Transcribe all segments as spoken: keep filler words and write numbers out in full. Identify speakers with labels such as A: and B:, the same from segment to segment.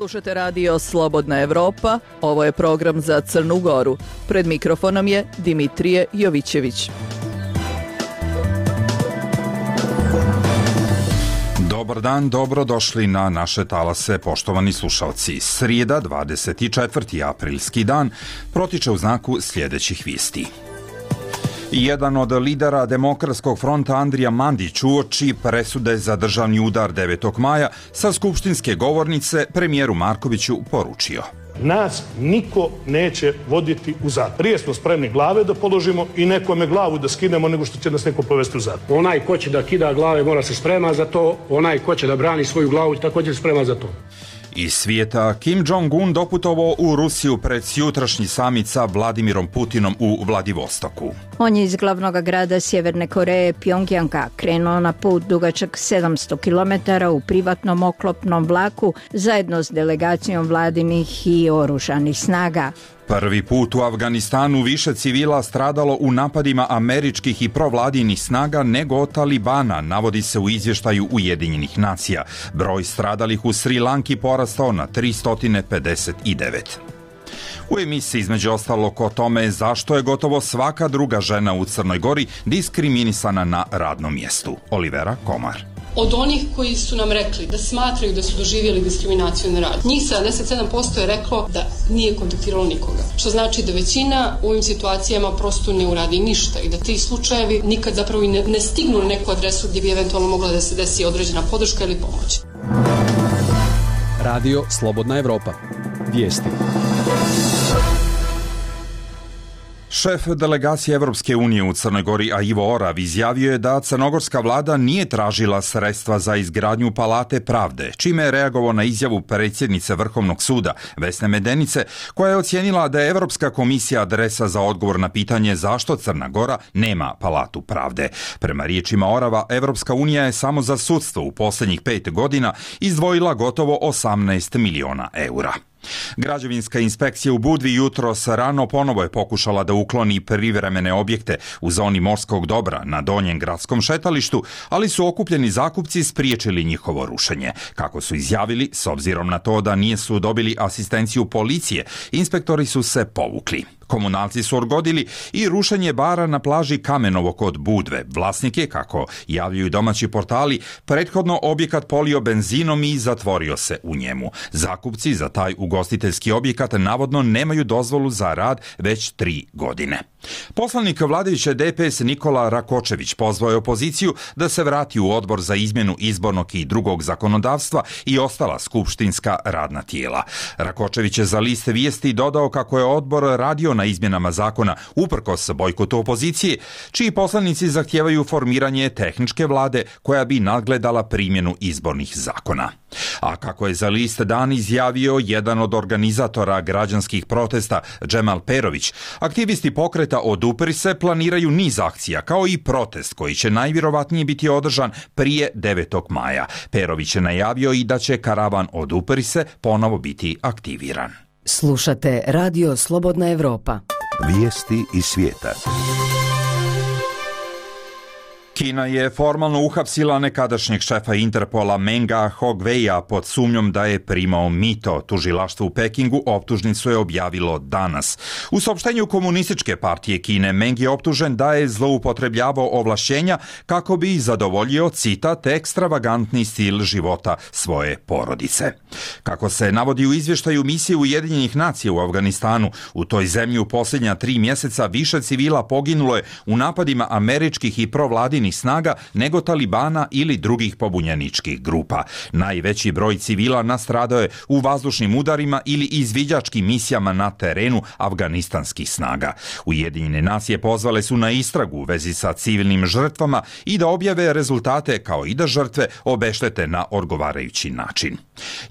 A: Slušate radio Slobodna Evropa, ovo je program za Crnu Goru. Pred mikrofonom je Dimitrije Jovićević.
B: Dobar dan, dobrodošli na naše talase, poštovani slušalci. Srijeda, dvadeset četvrti aprilski dan, protiče u znaku sljedećih vijesti. Jedan od lidera Demokratskog fronta Andrija Mandić uoči presude za državni udar devetog maja sa skupštinske govornice premijeru Markoviću poručio:
C: nas niko neće voditi u zatvor. Prije smo spremni glave da položimo i nekome glavu da skinemo nego što će nas neko povesti u zatvor.
D: Onaj ko će da kida glave mora se sprema za to, onaj ko će da brani svoju glavu također se sprema za to.
B: Iz svijeta, Kim Jong-un doputovao u Rusiju pred jutrašnji samit sa Vladimirom Putinom u Vladivostoku.
E: On je iz glavnog grada Sjeverne Koreje, Pjongjanga, krenuo na put dugačak sedamsto kilometara u privatnom oklopnom vlaku zajedno s delegacijom vladinih i oružanih snaga.
B: Prvi put u Afganistanu više civila stradalo u napadima američkih i provladinih snaga nego od Talibana, navodi se u izvještaju Ujedinjenih nacija. Broj stradalih u Sri Lanki porastao na tristo pedeset devet. U emisiji između ostalog o tome zašto je gotovo svaka druga žena u Crnoj Gori diskriminisana na radnom mjestu. Olivera Komar.
F: Od onih koji su nam rekli da smatraju da su doživjeli diskriminaciju na radu, njih sedamdeset sedam posto je reklo da nije kontaktiralo nikoga. Što znači da većina u ovim situacijama prosto ne uradi ništa i da ti slučajevi nikad zapravo i ne, ne stignu na neku adresu gdje bi eventualno mogla da se desi određena podrška ili pomoć.
G: Radio Slobodna Evropa. Vijesti.
B: Šef delegacije Evropske unije u Crnoj Gori, a Ivo Orav, izjavio je da crnogorska vlada nije tražila sredstva za izgradnju Palate pravde, čime je reagovao na izjavu predsjednice Vrhovnog suda, Vesne Medenice, koja je ocijenila da je Evropska komisija adresa za odgovor na pitanje zašto Crna Gora nema Palatu pravde. Prema riječima Orava, Evropska unija je samo za sudstvo u posljednjih pet godina izdvojila gotovo osamnaest miliona eura. Građevinska inspekcija u Budvi jutros rano ponovo je pokušala da ukloni privremene objekte u zoni morskog dobra na donjem gradskom šetalištu, ali su okupljeni zakupci spriječili njihovo rušenje. Kako su izjavili, s obzirom na to da nisu dobili asistenciju policije, inspektori su se povukli. Komunalci su odgodili i rušenje bara na plaži Kamenovo kod Budve. Vlasnik je, kako javljaju domaći portali, prethodno objekat polio benzinom i zatvorio se u njemu. Zakupci za taj ugostiteljski objekat navodno nemaju dozvolu za rad već tri godine. Poslanik vladajuće D P S Nikola Rakočević pozvao je opoziciju da se vrati u odbor za izmjenu izbornog i drugog zakonodavstva i ostala skupštinska radna tijela. Rakočević je za list vijesti dodao kako je odbor radio na izmjenama zakona uprkos bojkotu opozicije, čiji poslanici zahtijevaju formiranje tehničke vlade koja bi nadgledala primjenu izbornih zakona. A kako je za list Dan izjavio jedan od organizatora građanskih protesta, Džemal Perović, aktivisti pokreta Odupri se planiraju niz akcija, kao i protest koji će najvjerovatnije biti održan prije devetog maja. Perović je najavio i da će karavan Odupri se ponovo biti aktiviran.
H: Slušate Radio Slobodna Evropa.
I: Vijesti iz svijeta.
B: Kina je formalno uhapsila nekadašnjeg šefa Interpola Menga Hongweia pod sumnjom da je primao mito. Tužilaštvo u Pekingu optužnicu je objavilo danas. U saopštenju Komunističke partije Kine, Meng je optužen da je zloupotrebljavao ovlašćenja kako bi zadovoljio, citat, ekstravagantni stil života svoje porodice. Kako se navodi u izvještaju misije Ujedinjenih nacija u Afganistanu, u toj zemlji u posljednja tri mjeseca više civila poginulo je u napadima američkih i provladinih snaga nego Talibana ili drugih pobunjeničkih grupa. Najveći broj civila nastradao je u vazdušnim udarima ili izviđačkim misijama na terenu afganistanskih snaga. Ujedinjene nacije pozvale su na istragu u vezi sa civilnim žrtvama i da objave rezultate kao i da žrtve obeštete na odgovarajući način.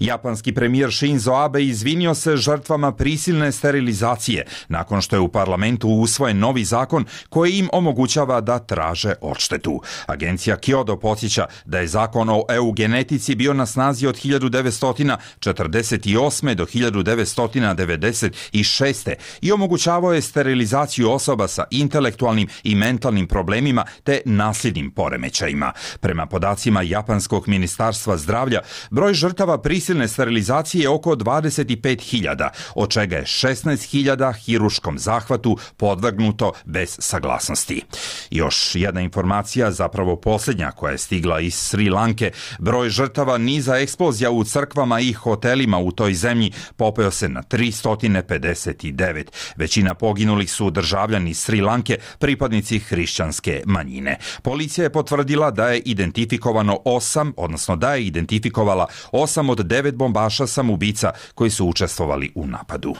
B: Japanski premijer Shinzo Abe izvinio se žrtvama prisilne sterilizacije nakon što je u parlamentu usvojen novi zakon koji im omogućava da traže odštetu. Agencija Kyodo podsjeća da je zakon o eugenetici bio na snazi od hiljadu devetsto četrdeset osme do hiljadu devetsto devedeset šeste i omogućavao je sterilizaciju osoba sa intelektualnim i mentalnim problemima te nasljednim poremećajima. Prema podacima Japanskog ministarstva zdravlja, broj žrtava troškova prisilne sterilizacije je oko dvadeset pet hiljada, od čega je šesnaest hiljada hiruškom zahvatu podvrgnuto bez saglasnosti. Još jedna informacija, zapravo posljednja koja je stigla iz Sri Lanke, broj žrtava niza eksplozija u crkvama i hotelima u toj zemlji popeo se na tristo pedeset devet. Većina poginulih su državljani Sri Lanke, pripadnici hrišćanske manjine. Policija je potvrdila da je identifikovano osam, odnosno da je identifikovala osam od devet bombaša samoubica koji su učestvovali u napadu.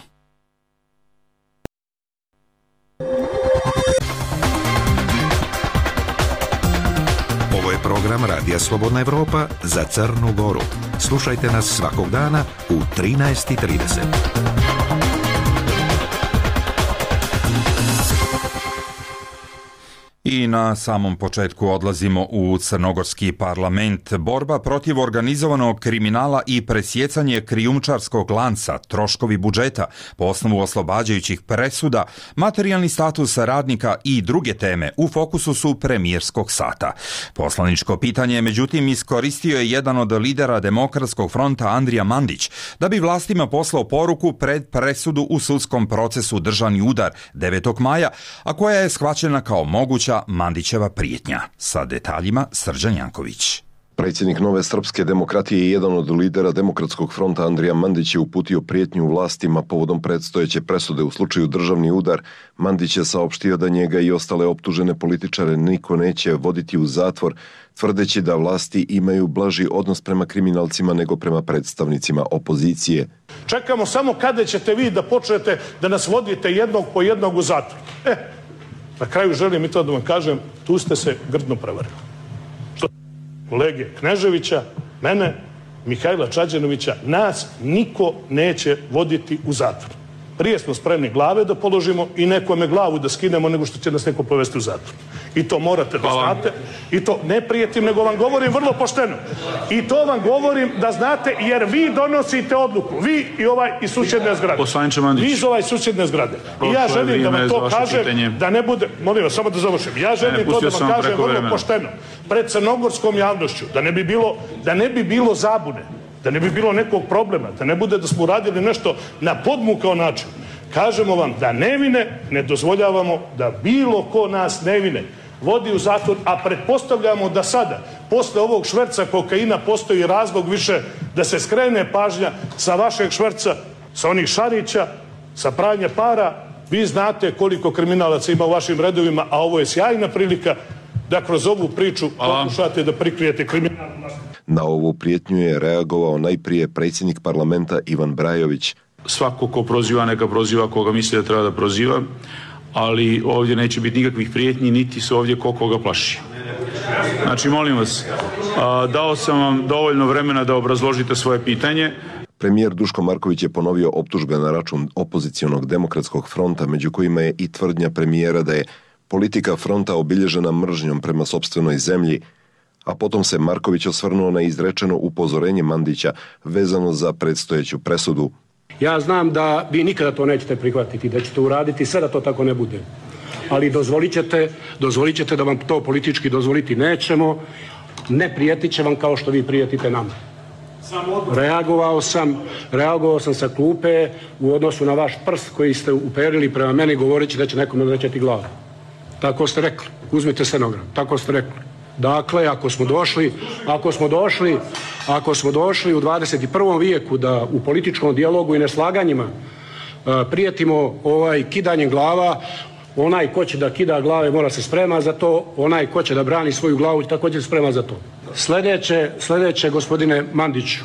I: Ovo je program Radija Slobodna Evropa za Crnu Goru. Slušajte nas svakog dana u trinaest i trideset.
B: I na samom početku odlazimo u crnogorski parlament. Borba protiv organizovanog kriminala i presjecanje krijumčarskog lanca, troškovi budžeta po osnovu oslobađajućih presuda, materijalni status radnika i druge teme u fokusu su premijerskog sata. Poslaničko pitanje, međutim, iskoristio je jedan od lidera Demokratskog fronta Andrija Mandić da bi vlastima poslao poruku pred presudu u sudskom procesu državni udar devetog maja, a koja je shvaćena kao moguća Mandićeva prijetnja. Sa detaljima Srđan Janković.
J: Predsjednik Nove srpske demokratije i jedan od lidera Demokratskog fronta Andrija Mandić je uputio prijetnju vlastima povodom predstojeće presude u slučaju državni udar. Mandić je saopštio da njega i ostale optužene političare niko neće voditi u zatvor, tvrdeći da vlasti imaju blaži odnos prema kriminalcima nego prema predstavnicima opozicije.
C: Čekamo samo kada ćete vi da počnete da nas vodite jednog po jednog u zatvor. E, na kraju želim i to da vam kažem, tu ste se grdno prevarili. Što kolege Kneževića, mene, Mihajla Čađanovića, nas niko neće voditi u zatvor. Prije smo spremni glave da položimo i nekome glavu da skinemo nego što će nas neko povesti u zatvor. I to morate da znate. I to ne prijetim, nego vam govorim vrlo pošteno. I to vam govorim da znate, jer vi donosite odluku. Vi i ovaj iz susjedne zgrade. Vi iz ovaj susjedne zgrade. I ja želim da vam to kažem, da ne bude, molim vas, samo da završim. Ja želim to da vam kažem vrlo pošteno. Pred crnogorskom javnošću, da ne bi bilo, da ne bi bilo zabune, da ne bi bilo nekog problema, da ne bude da smo uradili nešto na podmukao način. Kažemo vam da nevine ne dozvoljavamo da bilo ko nas nevine vodi u zatvor, a pretpostavljamo da sada, posle ovog šverca kokaina, postoji razlog više da se skrene pažnja sa vašeg šverca, sa onih Šarića, sa pranja para. Vi znate koliko kriminalaca ima u vašim redovima, a ovo je sjajna prilika da kroz ovu priču pokušate da prikrijete kriminal.
J: Na ovu prijetnju je reagovao najprije predsjednik parlamenta Ivan Brajović.
K: Svako ko proziva, neka proziva koga misli da treba da proziva, ali ovdje neće biti nikakvih prijetnji, niti se ovdje ko koga plaši. Znači, molim vas, a, dao sam vam dovoljno vremena da obrazložite svoje pitanje.
J: Premijer Duško Marković je ponovio optužbe na račun opozicionog Demokratskog fronta, među kojima je i tvrdnja premijera da je politika fronta obilježena mržnjom prema sopstvenoj zemlji, a potom se Marković osvrnuo na izrečeno upozorenje Mandića vezano za predstojeću presudu.
D: Ja znam da vi nikada to nećete prihvatiti, da ćete uraditi sve da to tako ne bude. Ali dozvolit ćete, dozvolit ćete da vam to politički dozvoliti nećemo, ne prijetit će vam kao što vi prijetite nama. Reagovao sam, reagovao sam sa klupe u odnosu na vaš prst koji ste uperili prema meni govoreći da će nekome odrećati glavu. Tako ste rekli, uzmite stenogram, tako ste rekli. Dakle, ako smo došli, ako smo došli, ako smo došli u dvadeset i prvom vijeku da u političkom dijalogu i neslaganjima uh, prijetimo ovaj kidanjem glava, onaj ko će da kida glave mora se sprema za to, onaj ko će da brani svoju glavu također sprema za to. Sljedeće, sljedeće gospodine Mandiću,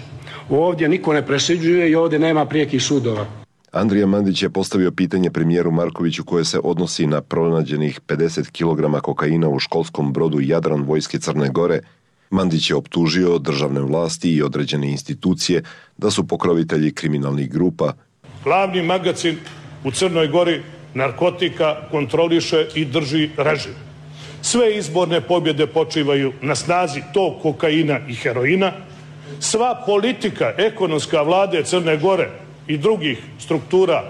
D: ovdje niko ne presuđuje i ovdje nema prijekih sudova.
J: Andrija Mandić je postavio pitanje premijeru Markoviću koje se odnosi na pronađenih pedeset kilograma kokaina u školskom brodu Jadran vojske Crne Gore. Mandić je optužio državne vlasti i određene institucije da su pokrovitelji kriminalnih grupa.
C: Glavni magacin u Crnoj Gori narkotika kontroliše i drži režim. Sve izborne pobjede počivaju na snazi tog kokaina i heroina. Sva politika ekonomska vlade Crne Gore i drugih struktura,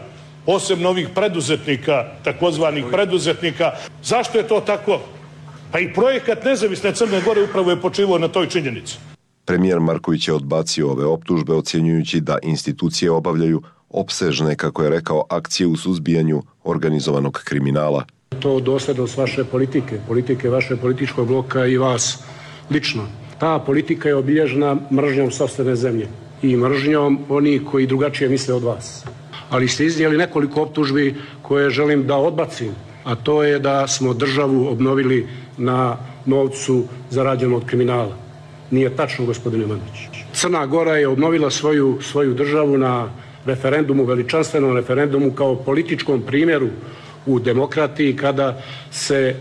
C: posebno ovih preduzetnika, takozvanih preduzetnika. Zašto je to tako? Pa i projekat Nezavisne Crne Gore upravo je počivao na toj činjenici.
J: Premijer Marković je odbacio ove optužbe, ocjenjujući da institucije obavljaju opsežne, kako je rekao, akcije u suzbijanju organizovanog kriminala.
D: To dosljednost vaše politike, politike vaše političkog bloka i vas lično. Ta politika je obilježena mržnjom sopstvene zemlje i mržnjom onih koji drugačije misle od vas. Ali ste iznijeli nekoliko optužbi koje želim da odbacim, a to je da smo državu obnovili na novcu zarađenom od kriminala. Nije tačno, gospodine Mandić. Crna Gora je obnovila svoju, svoju državu na referendumu, veličanstvenom referendumu, kao političkom primjeru u demokratiji, kada se e,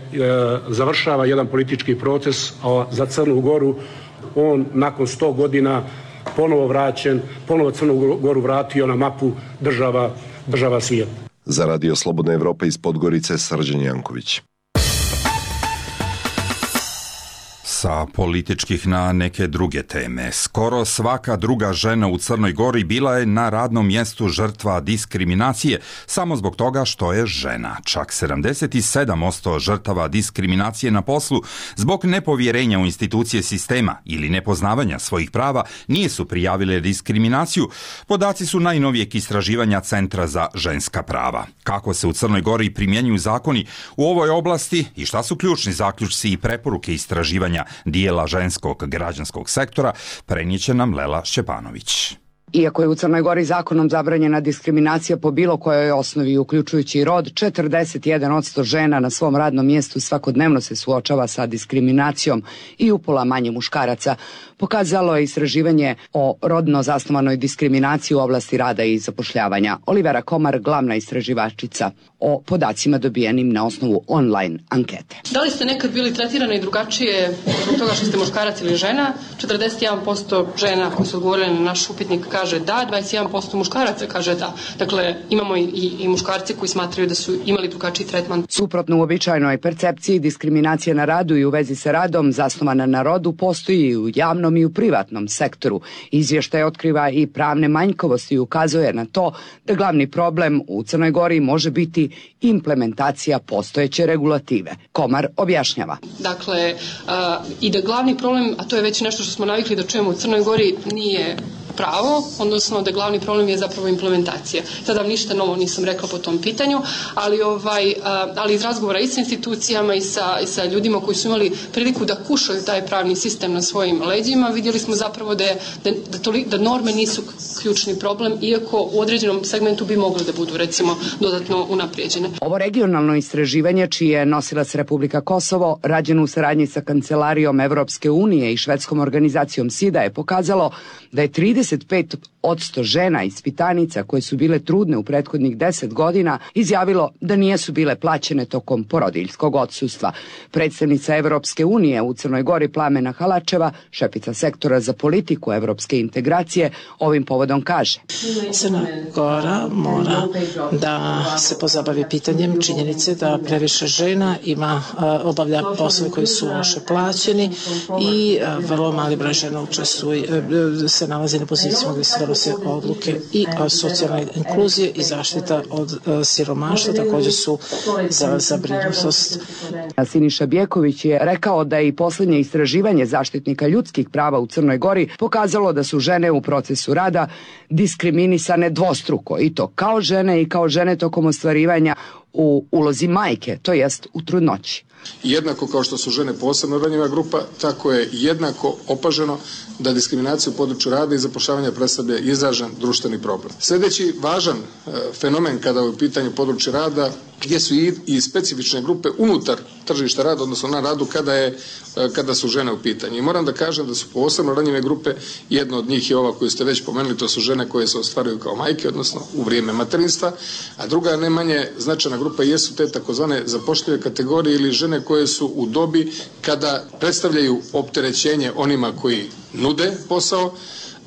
D: završava jedan politički proces, a za Crnu Goru on nakon sto godina ponovo vraćen, ponovo Crnu Goru vratio na mapu država, država svijeta.
J: Za Radio Slobodna Evropa iz Podgorice, Srđan Janković.
B: Sa političkih na neke druge teme. Skoro svaka druga žena u Crnoj Gori bila je na radnom mjestu žrtva diskriminacije samo zbog toga što je žena. Čak sedamdeset sedam posto žrtava diskriminacije na poslu zbog nepovjerenja u institucije sistema ili nepoznavanja svojih prava nije su prijavile diskriminaciju. Podaci su najnovijeg istraživanja Centra za ženska prava. Kako se u Crnoj Gori primjenjuju zakoni u ovoj oblasti i šta su ključni zaključci i preporuke istraživanja dijela ženskog građanskog sektora, prenijet će nam Lela Šćepanović.
L: Iako je u Crnoj Gori zakonom zabranjena diskriminacija po bilo kojoj osnovi, uključujući i rod, četrdeset jedan posto žena na svom radnom mjestu svakodnevno se suočava sa diskriminacijom i upola manje muškaraca, pokazalo je istraživanje o rodno zasnovanoj diskriminaciji u oblasti rada i zapošljavanja. Olivera Komar, glavna istraživačica, o podacima dobijenim na osnovu online ankete.
F: Da li ste nekad bili tretirani drugačije zbog toga što ste muškarac ili žena? četrdeset jedan posto žena koji su odgovorili na naš upitnik kaže da, dvadeset jedan posto muškaraca kaže da. Dakle, imamo i, i, i muškarci koji smatraju da su imali drugačiji tretman.
L: Suprotno uobičajenoj percepciji, diskriminacija na radu i u vezi sa radom zasnovana na rodu postoji i u javnom i u privatnom sektoru. Izvještaj otkriva i pravne manjkavosti i ukazuje na to da glavni problem u Crnoj Gori može biti implementacija postojeće regulative. Komar objašnjava.
F: Dakle, a, i da glavni problem, a to je već nešto što smo navikli da čujemo u Crnoj Gori, nije pravo, odnosno da glavni problem je zapravo implementacija. Sada vam ništa novo nisam rekla po tom pitanju, ali, ovaj, ali iz razgovora i sa institucijama i sa, i sa ljudima koji su imali priliku da kušaju taj pravni sistem na svojim leđima, vidjeli smo zapravo da, je, da, da, toli, da norme nisu ključni problem, iako u određenom segmentu bi mogli da budu, recimo, dodatno unaprijeđene.
L: Ovo regionalno istraživanje, čiji je nosilac Republika Kosovo, rađeno u saradnji sa Kancelarijom Evropske unije i švedskom organizacijom SIDA, je pokazalo da je trideset pet posto žena ispitanica koje su bile trudne u prethodnih deset godina izjavilo da nisu bile plaćene tokom porodiljskog odsustva. Predstavnica Evropske unije u Crnoj Gori Plamena Halačeva, šefica sektora za politiku evropske integracije, ovim povodom kaže:
M: Crna Gora mora da se pozabavi pitanjem činjenice da previše žena ima obavlja poslove koji su loše plaćeni i vrlo mali broj žena učestvuje, se nalazi na pozicijama gdje se donose odluke i socijalne inkluzije i zaštita od siromaštva također su za zabrinutost.
L: Siniša Bjeković je rekao da je i posljednje istraživanje zaštitnika ljudskih prava u Crnoj Gori pokazalo da su žene u procesu rada diskriminisane dvostruko, i to kao žene i kao žene tokom ostvarivanja u ulozi majke, to jest u trudnoći.
N: Jednako kao što su žene posebno ranjiva grupa, tako je jednako opaženo da diskriminacija u području rada i zapošljavanja predstavlja izražen društveni problem. Sljedeći važan e, fenomen kada je u pitanju područja rada, gdje su i, i specifične grupe unutar tržišta rada, odnosno na radu kada, je, e, kada su žene u pitanju. I moram da kažem da su posebno ranjive grupe, jedna od njih je ova koju ste već pomenuli, to su žene koje se ostvaruju kao majke, odnosno u vrijeme materinstva, a druga ne manje značajna grupa jesu te takozvane zapošljive kategorije ili žene koje su u dobi kada predstavljaju opterećenje onima koji nude posao,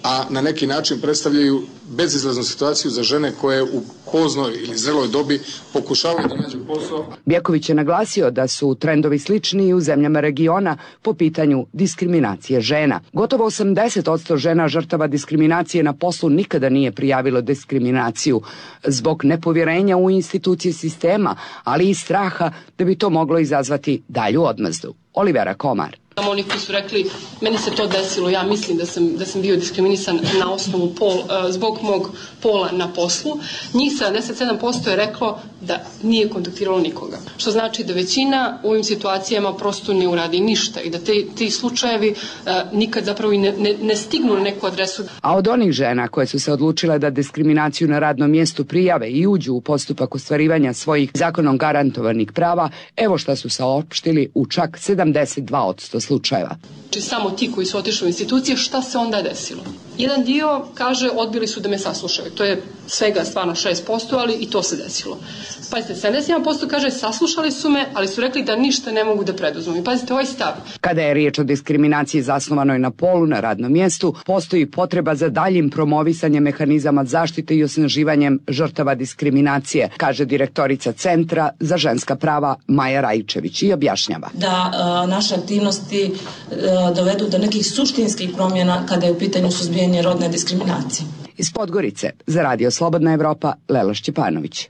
N: a na neki način predstavljaju bezizlaznu situaciju za žene koje u poznoj ili zreloj dobi pokušavaju da nađu posao.
L: Bjeković je naglasio da su trendovi slični i u zemljama regiona po pitanju diskriminacije žena. Gotovo osamdeset posto žena žrtava diskriminacije na poslu nikada nije prijavilo diskriminaciju zbog nepovjerenja u institucije sistema, ali i straha da bi to moglo izazvati dalju odmazdu. Olivera Komar.
F: Samo oni koji su rekli, meni se to desilo, ja mislim da sam, da sam bio diskriminisan na osnovu pol, zbog mog pola na poslu, njih sedamdeset sedam posto je reklo da nije kontaktiralo nikoga. Što znači da većina u ovim situacijama prosto ne uradi ništa i da te, ti slučajevi uh, nikad zapravo i ne, ne, ne stignu na neku adresu.
L: A od onih žena koje su se odlučile da diskriminaciju na radnom mjestu prijave i uđu u postupak ostvarivanja svojih zakonom garantovanih prava, evo šta su saopštili u čak sedamdeset dva posto slučajeva.
F: Znači samo ti koji su otišli u institucije, šta se onda desilo? Jedan dio kaže odbili su da me saslušaju. To je svega stvarno šest posto, ali i to se desilo. Pazite, sedamdeset jedan posto kaže saslušali su me, ali su rekli da ništa ne mogu da preduzmu. I pazite, ovaj stav.
L: Kada je riječ o diskriminaciji zasnovanoj na polu na radnom mjestu, postoji potreba za daljim promovisanjem mehanizama zaštite i osnaživanjem žrtava diskriminacije, kaže direktorica Centra za ženska prava Maja Rajčević i objašnjava.
O: Da a, naše aktivnosti a, dovedu do nekih suštinskih promjena kada je u pitanju suzbijanje rodne diskriminacije.
L: Iz Podgorice za Radio Slobodna Evropa, Lela Šćepanović.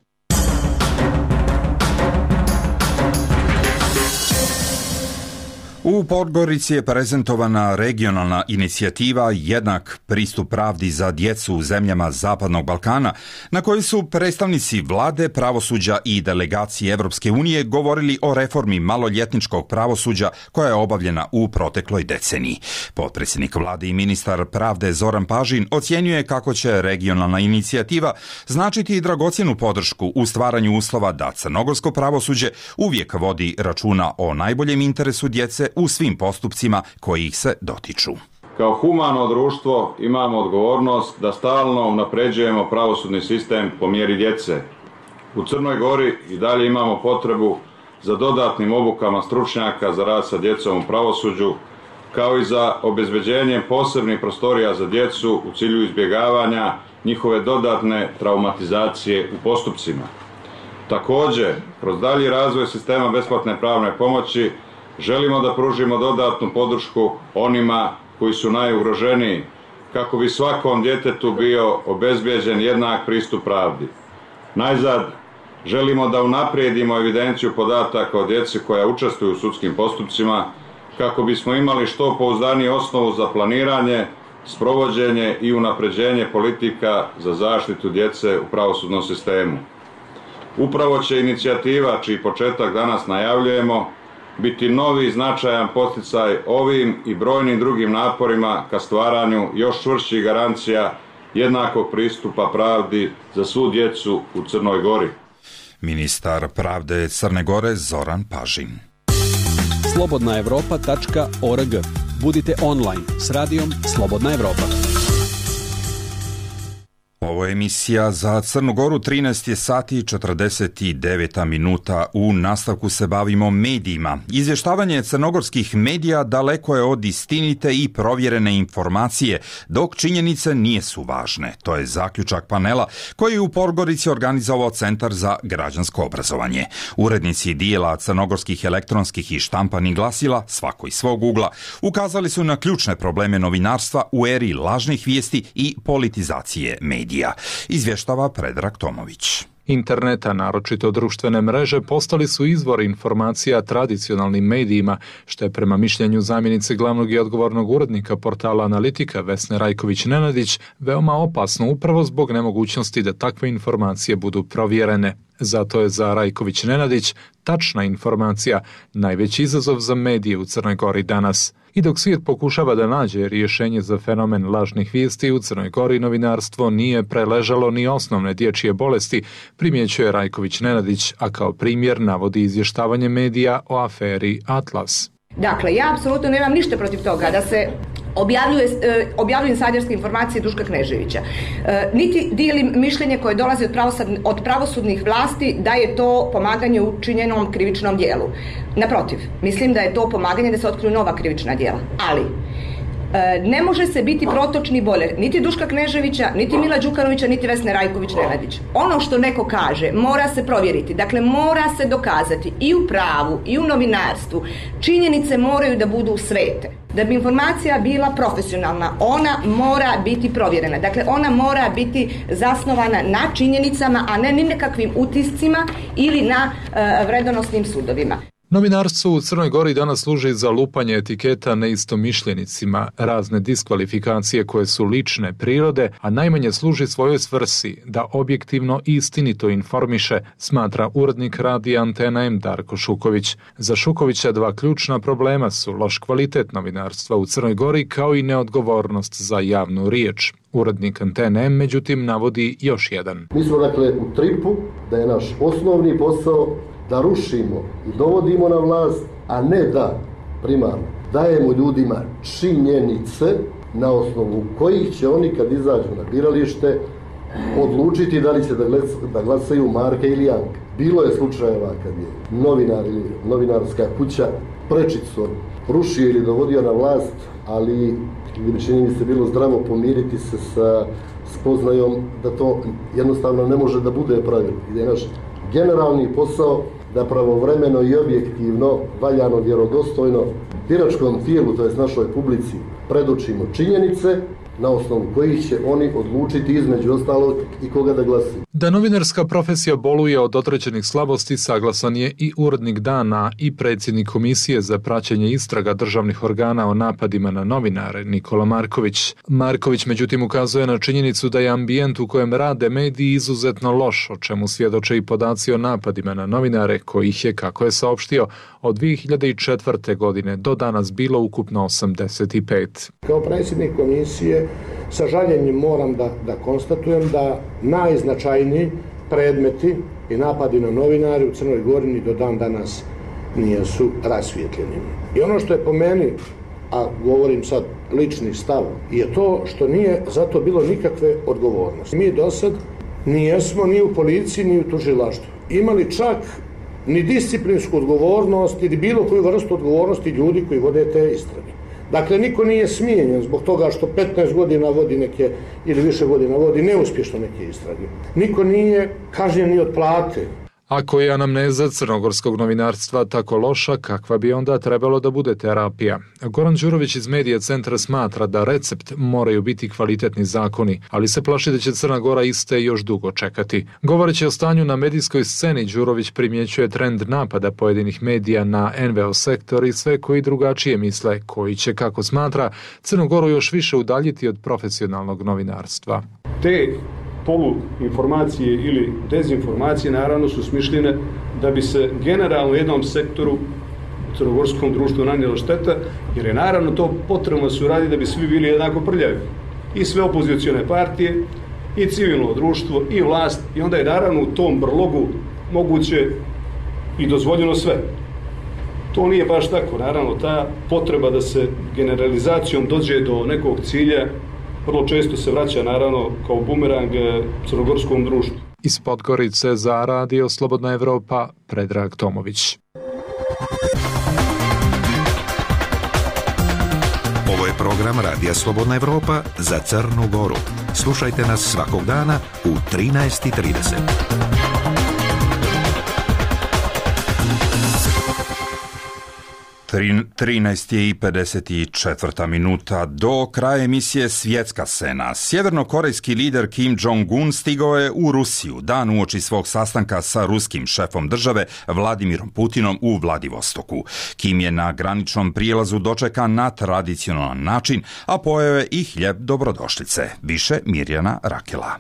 B: U Podgorici je prezentovana regionalna inicijativa Jednak pristup pravdi za djecu u zemljama Zapadnog Balkana, na kojoj su predstavnici vlade, pravosuđa i delegacije Evropske unije govorili o reformi maloljetničkog pravosuđa koja je obavljena u protekloj deceniji. Potpredsjednik vlade i ministar pravde Zoran Pažin ocjenjuje kako će regionalna inicijativa značiti dragocjenu podršku u stvaranju uslova da crnogorsko pravosuđe uvijek vodi računa o najboljem interesu djece u svim postupcima koji ih se dotiču.
P: Kao humano društvo imamo odgovornost da stalno unapređujemo pravosudni sistem po mjeri djece. U Crnoj Gori i dalje imamo potrebu za dodatnim obukama stručnjaka za rad sa djecom u pravosuđu, kao i za obezbeđenjem posebnih prostorija za djecu u cilju izbjegavanja njihove dodatne traumatizacije u postupcima. Također, kroz dalji razvoj sistema besplatne pravne pomoći želimo da pružimo dodatnu podršku onima koji su najugroženiji, kako bi svakom djetetu bio obezbijeđen jednak pristup pravdi. Najzad, želimo da unaprijedimo evidenciju podataka o djeci koja učestvuju u sudskim postupcima, kako bismo imali što pouzdaniju osnovu za planiranje, sprovođenje i unapređenje politika za zaštitu djece u pravosudnom sistemu. Upravo će inicijativa, čiji početak danas najavljujemo, biti novi značajan poticaj ovim i brojnim drugim naporima ka stvaranju još čvršćih garancija jednakog pristupa pravdi za svu djecu u Crnoj Gori.
B: Ministar pravde Crne Gore Zoran Pažin.
G: slobodna evropa tačka org. Budite online s radijom Slobodna Evropa.
B: Ovo je emisija za Crnu Goru, trinaest je sati četrdeset devet minuta. U nastavku se bavimo medijima. Izvještavanje crnogorskih medija daleko je od istinite i provjerene informacije, dok činjenice nisu važne. To je zaključak panela koji je u Podgorici organizovao Centar za građansko obrazovanje. Urednici dijela crnogorskih elektronskih i štampanih glasila, svako iz svog ugla, ukazali su na ključne probleme novinarstva u eri lažnih vijesti i politizacije medija. Izvještava Predrag Tomović.
Q: Interneta, naročito društvene mreže, postali su izvor informacija tradicionalnim medijima, što je prema mišljenju zamjenice glavnog i odgovornog urednika portala Analitika Vesne Rajković-Nenadić veoma opasno upravo zbog nemogućnosti da takve informacije budu provjerene. Zato je za Rajković-Nenadić tačna informacija najveći izazov za medije u Crnoj Gori danas. I dok svijet pokušava da nađe rješenje za fenomen lažnih vijesti, u Crnoj Gori novinarstvo nije preležalo ni osnovne dječje bolesti, primjećuje Rajković-Nenadić, a kao primjer navodi izvještavanje medija o aferi Atlas.
R: Dakle, ja apsolutno nemam ništa protiv toga da se objavljuje, objavljuju insiderske informacije Duška Kneževića. E, niti dijelim mišljenje koje dolazi od, od pravosudnih vlasti da je to pomaganje u učinjenom krivičnom dijelu. Naprotiv, mislim da je to pomaganje da se otkriju nova krivična djela. Ali, e, ne može se biti protočni bojler niti Duška Kneževića, niti Mila Đukanovića, niti Vesne Rajković-Nenadić. Ono što neko kaže mora se provjeriti, dakle mora se dokazati i u pravu i u novinarstvu. Činjenice moraju da budu svete. Da bi informacija bila profesionalna, ona mora biti provjerena. Dakle, ona mora biti zasnovana na činjenicama, a ne ni nekakvim utiscima ili na uh, vredonosnim sudovima.
Q: Novinarstvo u Crnoj Gori danas služi za lupanje etiketa neistomišljenicima, razne diskvalifikacije koje su lične prirode, a najmanje služi svojoj svrsi da objektivno i istinito informiše, smatra urednik radija Antena M Darko Šuković. Za Šukovića dva ključna problema su loš kvalitet novinarstva u Crnoj Gori kao i neodgovornost za javnu riječ. Urednik Antene M međutim navodi još jedan.
S: Mi smo dakle u tripu da je naš osnovni posao da rušimo i dovodimo na vlast, a ne da primarno dajemo ljudima činjenice na osnovu kojih će oni kad izađu na biralište odlučiti da li će da glasaju Marka ili Janka. Bilo je slučajeva kad je novinar ili novinarska kuća prečicom rušio ili dovodio na vlast, ali čini mi se bilo zdravo pomiriti se sa spoznajom da to jednostavno ne može da bude pravilo. I da je naš generalni posao da pravovremeno i objektivno, valjano, vjerodostojno biračkom tijelu, to jest našoj publici, predočimo činjenice na osnovu kojih će oni odlučiti između ostalog i koga da glasuju.
Q: Da novinarska profesija boluje od određenih slabosti saglasan je i urednik Dana i predsjednik Komisije za praćenje istraga državnih organa o napadima na novinare Nikola Marković. Marković međutim ukazuje na činjenicu da je ambijent u kojem rade mediji izuzetno loš, o čemu svjedoče i podaci o napadima na novinare, kojih je, kako je saopštio, od dvije hiljade četvrte. godine do danas bilo ukupno osamdeset pet.
T: Kao predsjednik komisije sa žaljenjem moram da, da konstatujem da najznačajniji predmeti i napadi na novinare u Crnoj Gori ni do dan danas nisu rasvijetljeni. I ono što je po meni, a govorim sad lični stav, je to što nije zato bilo nikakve odgovornosti. Mi do sad nijesmo ni u policiji ni u tužilaštvu imali čak ni disciplinsku odgovornost ili bilo koju vrstu odgovornosti ljudi koji vode te istrage. Dakle, niko nije smijenjen zbog toga što petnaest godina vodi neke, ili više godina vodi neuspješno neke istrage. Niko nije kažnjen ni od plate.
Q: Ako je anamneza crnogorskog novinarstva tako loša, kakva bi onda trebalo da bude terapija? Goran Đurović iz Medija centra smatra da recept moraju biti kvalitetni zakoni, ali se plaši da će Crna Gora iste još dugo čekati. Govoreći o stanju na medijskoj sceni, Đurović primjećuje trend napada pojedinih medija na en ve o sektor i sve koji drugačije misle, koji će, kako smatra, Crnu Goru još više udaljiti od profesionalnog novinarstva.
D: Te poluinformacije ili dezinformacije naravno su smišljene da bi se generalno jednom sektoru u crnogorskom društvu nanijela šteta, jer je naravno to potrebno se uradi da bi svi bili jednako prljavi. I sve opozicione partije, i civilno društvo, i vlast, i onda je naravno u tom brlogu moguće i dozvoljeno sve. To nije baš tako. Naravno, ta potreba da se generalizacijom dođe do nekog cilja vrlo često se vraća, naravno, kao bumerang crnogorskom društvu.
Q: Iz Podgorice za Radio Slobodna Evropa, Predrag Tomović.
I: Ovo je program Radija Slobodna Evropa za Crnu Goru. Slušajte nas svakog dana u trinaest i trideset.
B: trinaest i pedeset četvrta minuta do kraja emisije Svjetska scena. Sjevernokorejski lider Kim Jong-un stigao je u Rusiju dan uoči svog sastanka sa ruskim šefom države Vladimirom Putinom u Vladivostoku. Kim je na graničnom prijelazu dočekan na tradicionalan način, a pojeo je i hljeb dobrodošlice. Više Mirjana Rakela.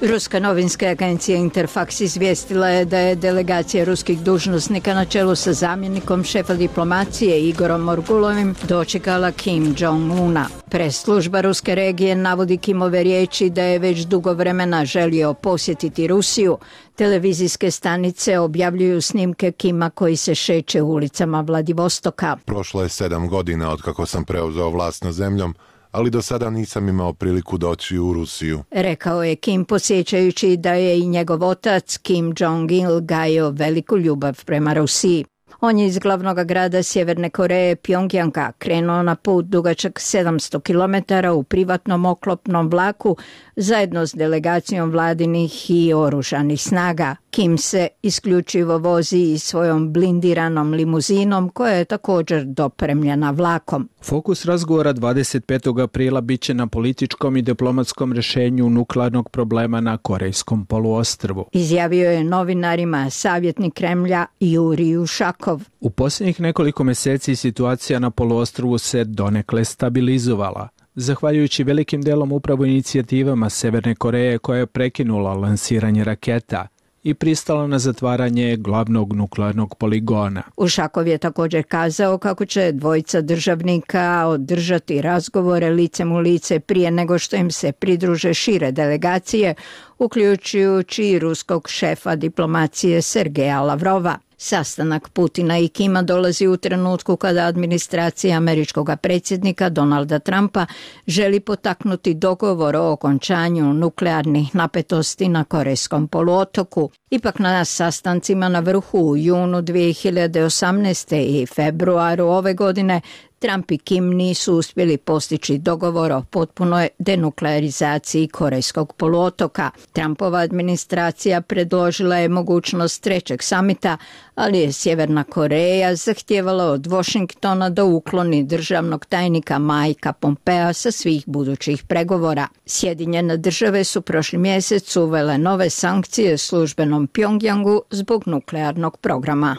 E: Ruska novinska agencija Interfax izvijestila je da je delegacija ruskih dužnosnika na čelu sa zamjenikom šefa diplomacije Igorom Morgulovim dočekala Kim Jong-una. Press služba ruske regije navodi Kimove riječi da je već dugo vremena želio posjetiti Rusiju. Televizijske stanice objavljuju snimke Kima koji se šeće ulicama Vladivostoka.
U: Prošlo je sedam godina od kako sam preuzeo vlast nad zemljom, ali do sada nisam imao priliku doći u Rusiju.
E: Rekao je Kim, podsjećajući da je i njegov otac Kim Jong-il gajio veliku ljubav prema Rusiji. On je iz glavnog grada Sjeverne Koreje, Pjongjanga, krenuo na put dugačak sedamsto kilometara u privatnom oklopnom vlaku zajedno s delegacijom vladinih i oružanih snaga. Kim se isključivo vozi i svojom blindiranom limuzinom koja je također dopremljena vlakom.
A: Fokus razgovora dvadeset petog aprila biće na političkom i diplomatskom rješenju nuklearnog problema na Korejskom poluostrvu.
E: Izjavio je novinarima savjetnik Kremlja Jurij Ušakov.
A: U posljednjih nekoliko mjeseci situacija na poluostrvu se donekle stabilizovala, zahvaljujući velikim delom upravo inicijativama Severne Koreje koja je prekinula lansiranje raketa i pristala na zatvaranje glavnog nuklearnog poligona.
E: Ušakov je također kazao kako će dvojica državnika održati razgovore licem u lice prije nego što im se pridruže šire delegacije, uključujući i ruskog šefa diplomacije Sergeja Lavrova. Sastanak Putina i Kima dolazi u trenutku kada administracija američkog predsjednika Donalda Trumpa želi potaknuti dogovor o okončanju nuklearnih napetosti na Korejskom poluotoku. Ipak na sastancima na vrhu u junu dvije hiljade osamnaeste. i februaru ove godine Trump i Kim nisu uspjeli postići dogovor o potpunoj denuklearizaciji Korejskog poluotoka. Trumpova administracija predložila je mogućnost trećeg samita, ali je Sjeverna Koreja zahtijevala od Washingtona da ukloni državnog tajnika Mikea Pompea sa svih budućih pregovora. Sjedinjene države su prošli mjesec uvele nove sankcije službenom Pjongjangu zbog nuklearnog programa.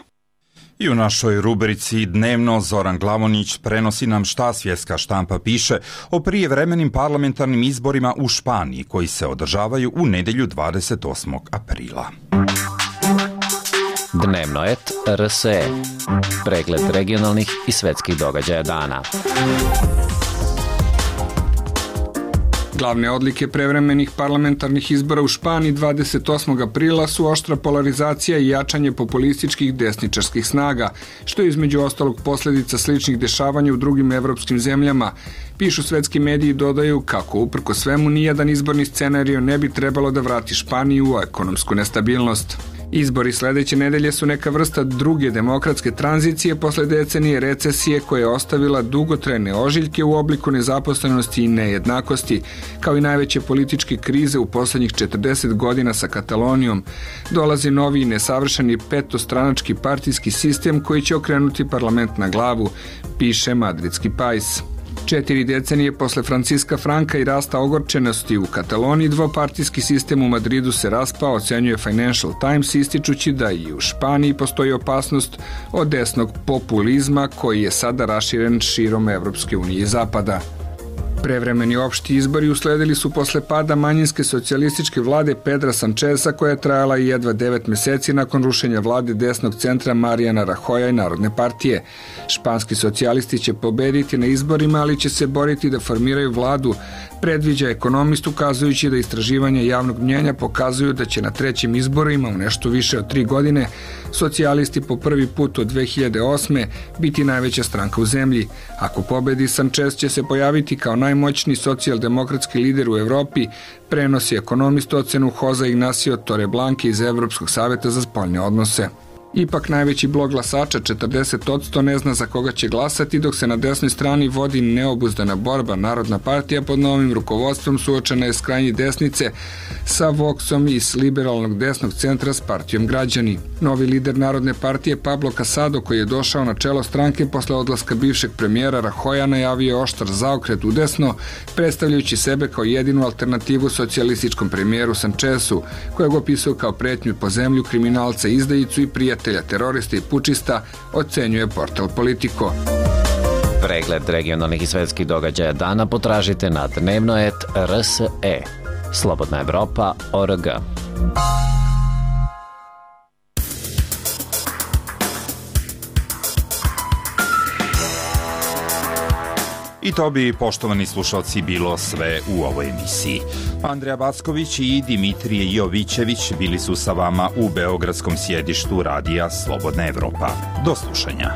B: I u našoj rubrici Dnevno Zoran Glavonić prenosi nam šta svjetska štampa piše o prijevremenim parlamentarnim izborima u Španiji koji se održavaju u nedjelju dvadeset osmog aprila.
V: Dnevno et R S E. Pregled regionalnih i svjetskih događaja dana.
W: Glavne odlike prevremenih parlamentarnih izbora u Španiji dvadeset osmog aprila su oštra polarizacija i jačanje populističkih desničarskih snaga, što je između ostalog posljedica sličnih dešavanja u drugim evropskim zemljama. Pišu svetski mediji i dodaju kako uprko svemu nijedan izborni scenario ne bi trebalo da vrati Španiju u ekonomsku nestabilnost. Izbori sljedeće nedelje su neka vrsta druge demokratske tranzicije posle decenije recesije koja je ostavila dugotrajne ožiljke u obliku nezaposlenosti i nejednakosti, kao i najveće političke krize u posljednjih četrdeset godina sa Katalonijom. Dolazi novi i nesavršeni petostranački partijski sistem koji će okrenuti parlament na glavu, piše madridski Pais. Četiri decenije posle Franciska Franka i rasta ogorčenosti u Kataloniji, dvopartijski sistem u Madridu se raspao, ocenjuje Financial Times, ističući da i u Španiji postoji opasnost od desnog populizma koji je sada raširen širom Evropske unije i Zapada. Prevremeni opšti izbori usledili su posle pada manjinske socijalističke vlade Pedra Sancheza koja je trajala i jedva devet mjeseci nakon rušenja vlade desnog centra Mariana Rajoya i Narodne partije. Španski socijalisti će pobediti na izborima, ali će se boriti da formiraju vladu, predviđa ekonomist, ukazujući da istraživanja javnog mnjenja pokazuju da će na trećim izborima u nešto više od tri godine socijalisti po prvi put od dve hiljade osme. biti najveća stranka u zemlji. Ako pobedi, Sanchez će se pojaviti kao najmoćniji socijaldemokratski lider u Evropi, prenosi ekonomist ocenu Jose Ignacio Torreblanca iz Evropskog savjeta za spoljne odnose. Ipak najveći blok glasača, četrdeset posto, ne zna za koga će glasati, dok se na desnoj strani vodi neobuzdana borba. Narodna partija pod novim rukovodstvom suočena je s krajnje desnice sa Voxom i s liberalnog desnog centra s partijom Građani. Novi lider Narodne partije Pablo Casado, koji je došao na čelo stranke posle odlaska bivšeg premijera Rajoya, najavio je oštar zaokret u desno, predstavljajući sebe kao jedinu alternativu socijalističkom premijeru Sanchezu, kojeg opisuje kao pretnju po zemlju, kriminalca, izdajicu i prijatelja terorista i pučista, ocenjuje portal Politico.
V: Pregled regionalnih i svjetskih događaja dana potražite na dnevno et R S E. Slobodna Evropa точка org.
B: I to bi, poštovani slušalci, bilo sve u ovoj emisiji. Andreja Backović i Dimitrije Jovićević bili su sa vama u beogradskom sjedištu radija Slobodna Evropa. Do slušanja.